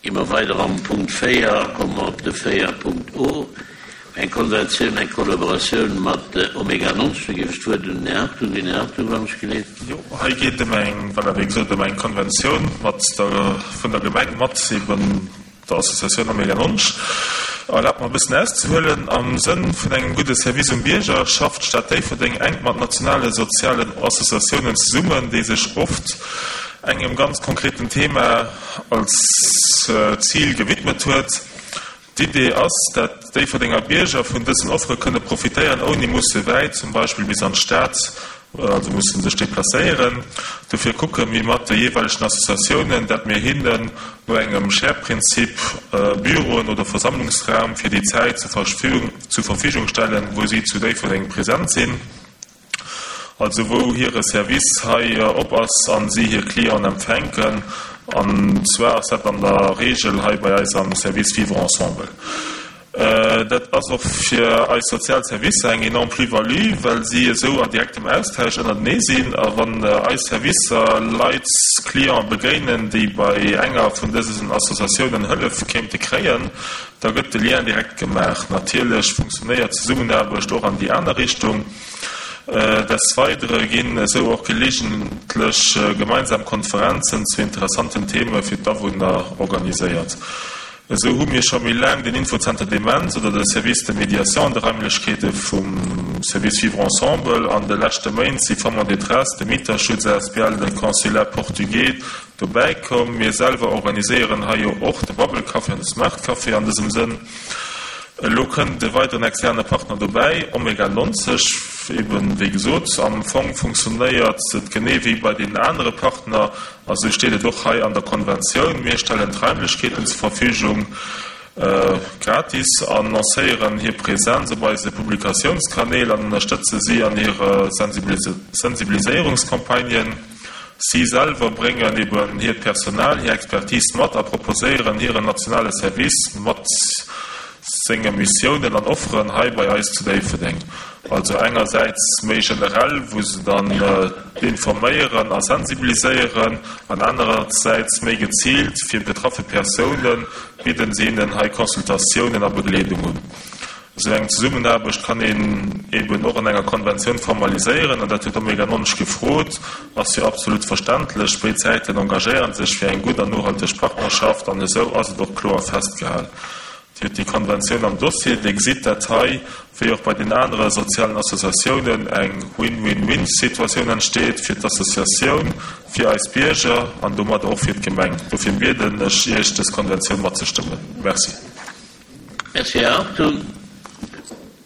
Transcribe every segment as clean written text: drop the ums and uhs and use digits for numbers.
Gi mer weider am Punkt 4 a komme mer op de 4 Punkt O, eng Konventioun, eng Kollaboratioun mat Omega 90. Do géif ech d'Wuert un den Här Hartung ginn. Här Hartung, wann ech geleet. Jo, hei geet et ëm eng, voilà, wéi gesot, ëm eng Konventioun mat der, vun der Gemeng mat eben der Associatioun Omega 90. Erlaabt mer e bëssen auszehuelen, Am Sënn vun engem gudde Service um Bierger schafft d'Stad Déifferdeng enk mat nationale sozialen Associatiounen zesummen, déi sech oft engem ganz konkreten Thema als Zil gewidmet huet. D'Idee ass, dat Déifferdenger Bierger vun dësen Offere kënne profitéieren, ouni musse wäit, zum Beispill bis an d'Stad, also musse sech deplacéieren. Dofir kucke mir mat de jeeweilegen Associatiounen, dat mir hinnen no engem Share-Prinzip Büroen oder Versammlungsraum fir déi Zäit zur Verfügung stellen, wou si zu Déifferdeng present sinn. also wou hire Service hei op ass a si hir Clienten empfänken, an zwar ass dat an der Regel hei bei eis am Service Vivre ensemble. Dat ass och fir eis sozial Servicer eng enorm Plus-value, well si esou a direktem Austausch ënnertenee sinn a wann eis Servicer Leit, Clienten begéinen, déi bei enger vun dësen Associatiounen Hëllef kéinte kréien, da gëtt de Lien direkt gemaach. Natierlech funktionéiert d'Zesummenaarbecht och an déi aner Richtung. Des Weidere ginn esou och gelegentlech gemeinsam Konferenzen zu interessanten Theme fir d'Awunner organiséiert. Esou hu mir scho méi laang den Infozenter Demenz oder de Service de médiation an de Raimlechkeete vum Service Vivre Ensemble. An de leschte Méint si Femmes en détresse, de Mieterschutz asbl, de Consulat portugais dobäi komm. Mir selwer organiséieren hei jo och de Bubble Café an de Smart Café an dësem Sënn. Elo kënnt e weideren externe Partner dobäi, Omega 90. Eben, wéi gesot, am Fong funktionéiert et genee wéi bei deenen anere Partner, a sou steet et och hei an der Konventioun, Mir stellen d'Raimlechkeeten zur Verfügung, gratis, an lancéieren hir Präsenz op eise Publikatiounskanäl an ënnerstëtze si an hire Sensibiliséierungscampagnen. Si selwer bréngen eben hiert Personal, hir Expertise mat a proposéieren hiren nationale Service mat senge Missiounen an Offeren hei bei eis zu Déifferdeng. Also engersäits méi generell, wou se dann informéieren a sensibiliséieren, an anerersäits méi geziilt fir betraffe Persounen bidden se hinnen hei Consultatiounen a Begleedung un. Esou eng Zesummenaarbecht kann een eben och an enger Konventioun formaliséieren, an dat huet Omega 90 gefrot, ass jo absolut verständlech. Béid Säiten engagéieren sech fir eng gutt an nohalteg Partnerschaft, an esou ass et och kloer festgehal. Dir hutt déi Konventioun am Dossier. Dir gesitt, dat hei, wéi och bei den anere sozialen Associatiounen, eng Win-win-win-Situatioun entsteet fir d'Associatioun, fir eis Bierger an domadder och fir d'Gemeng. Dofir bieden ech Iech, dës Konventioun matzestëmmen. Merci. Merci, Här Hartung.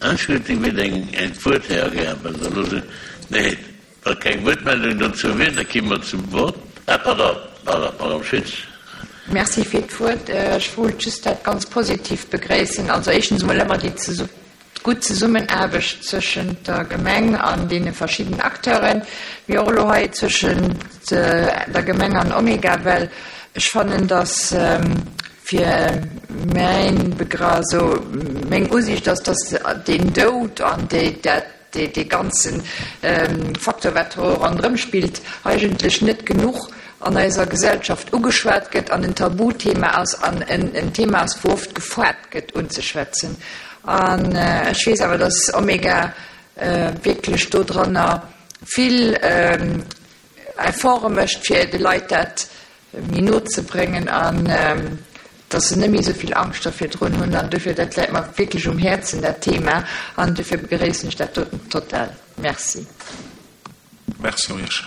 Ech huet déi Midd eng d'Wuert, Här Gerben. Da loosse, nee, wa keng Wuertmeldung dozou wier, da gi mer zum Vott. Ah, pardon, pardon, Madame Schütz. Merci fir d'Wuert. Ech wollt just dat ganz positiv begréissen. Also éischtens emol ëmmer déi gutt Zesummenaarbecht zwëschent der Gemeng an deene verschiddenen Acteuren, mee och elo hei zwëschent der Gemeng an Omega, well ech fannen, dass fir mäin Begra-, also meng Usiicht ass, dass deen Doud an déi, dat, dee ganze Facteur, wat do ronderëm spillt, eigentlech net genuch an eiser Gesellschaft ugeschwat gëtt an en Tabuthema ass an en Thema ass, wou oft gefaart gëtt unzeschwätzen. An ech weess awer, dass Omega wierklech dodranner vill Efforte mécht, fir de Leit dat méi no ze bréngen an dass se net méi esou vill Angscht da virdrun hunn. An dofir, dat läit mer wierklech um Häerzen, dat Thema, an dofir begréissen ech dat doten total. Merci. Merci och Iech.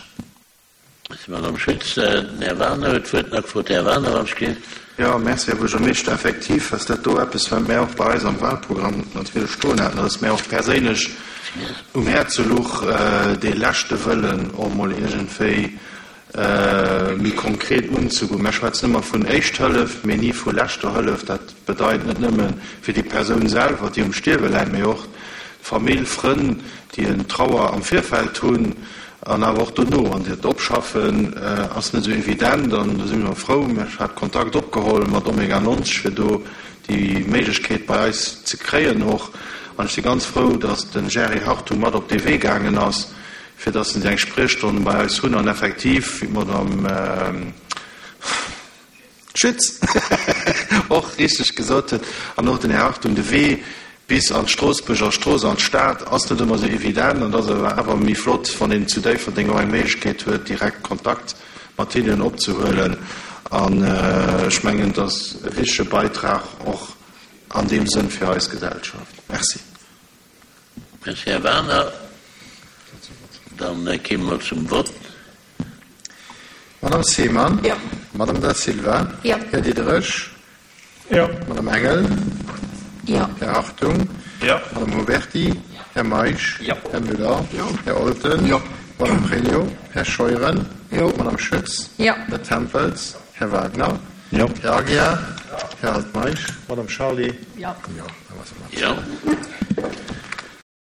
Merci, Madame Schütz. Den Här Wagener huet d'Wuert nach gefrot. Här Wagener, wann ech gleef. Jo, merci, Här Buergermeeschter. Effektiv ass dat do eppes, wat mär och bei eis am Wahlprogramm natierlech stoen haten, dass mär och perséinlech um Häerze luch, dee leschte Wëllen och emol iergendwéi méi konkret unzegoen. Mär schwätzen ëmmer vun Éischt Hëllef, mee ni vu leschter Hëllef. Dat bedeit net nëmme fir déi Persoun selwer, déi um Stierwe läit, mee och d'Famill, Frënn, déi en Trauer am Virfeld hunn an awer och dono. An dat Opschaffen ass net esou evident an do si mir frou, ech hat Kontakt opgeholl mat Omega 90, fir do déi Méiglechkeet bei eis ze kréien och. An ech si ganz frou, datt de Jerry Hartung mat op dee Wee gaangen ass, fir dass se eng Spriechstonn bei eis hunn an effektiv, wéi d'Madame Schütz. och richteg gesot huet, an och den Här Hartung, de Wee bis an d'Stroossbuerger Strooss, an d'Stad, ass net ëmmer esou evident. An et ass awer méi flott, wann een zu Déifferdeng och eng Méiglechkeet huet, direkt Kontakt mat hinnen opzehuelen. An ech mengen, et ass e wichtege Beitrag och an deem Sënn fir eis Gesellschaft. Merci. Merci, Här Werner. Dann kéime mer zum Vott. Madame Seemann? Jo. Madame Da Silva? Jo. Här Diderich? Jo. Madame Engel? Jo. Här Hartung? Jo. Madame Huberty? Här Meisch? Jo. Här Müller? Jo. Här Olten? Jo. Madame Pregno? Här Scheuren? Jo. Madame Schütz? Jo. Här Tempels? Här Wagner? Jo. Här Aguiar? Här Altmeisch? Madame Charlé? Jo. Jo, da war se mat. Jo.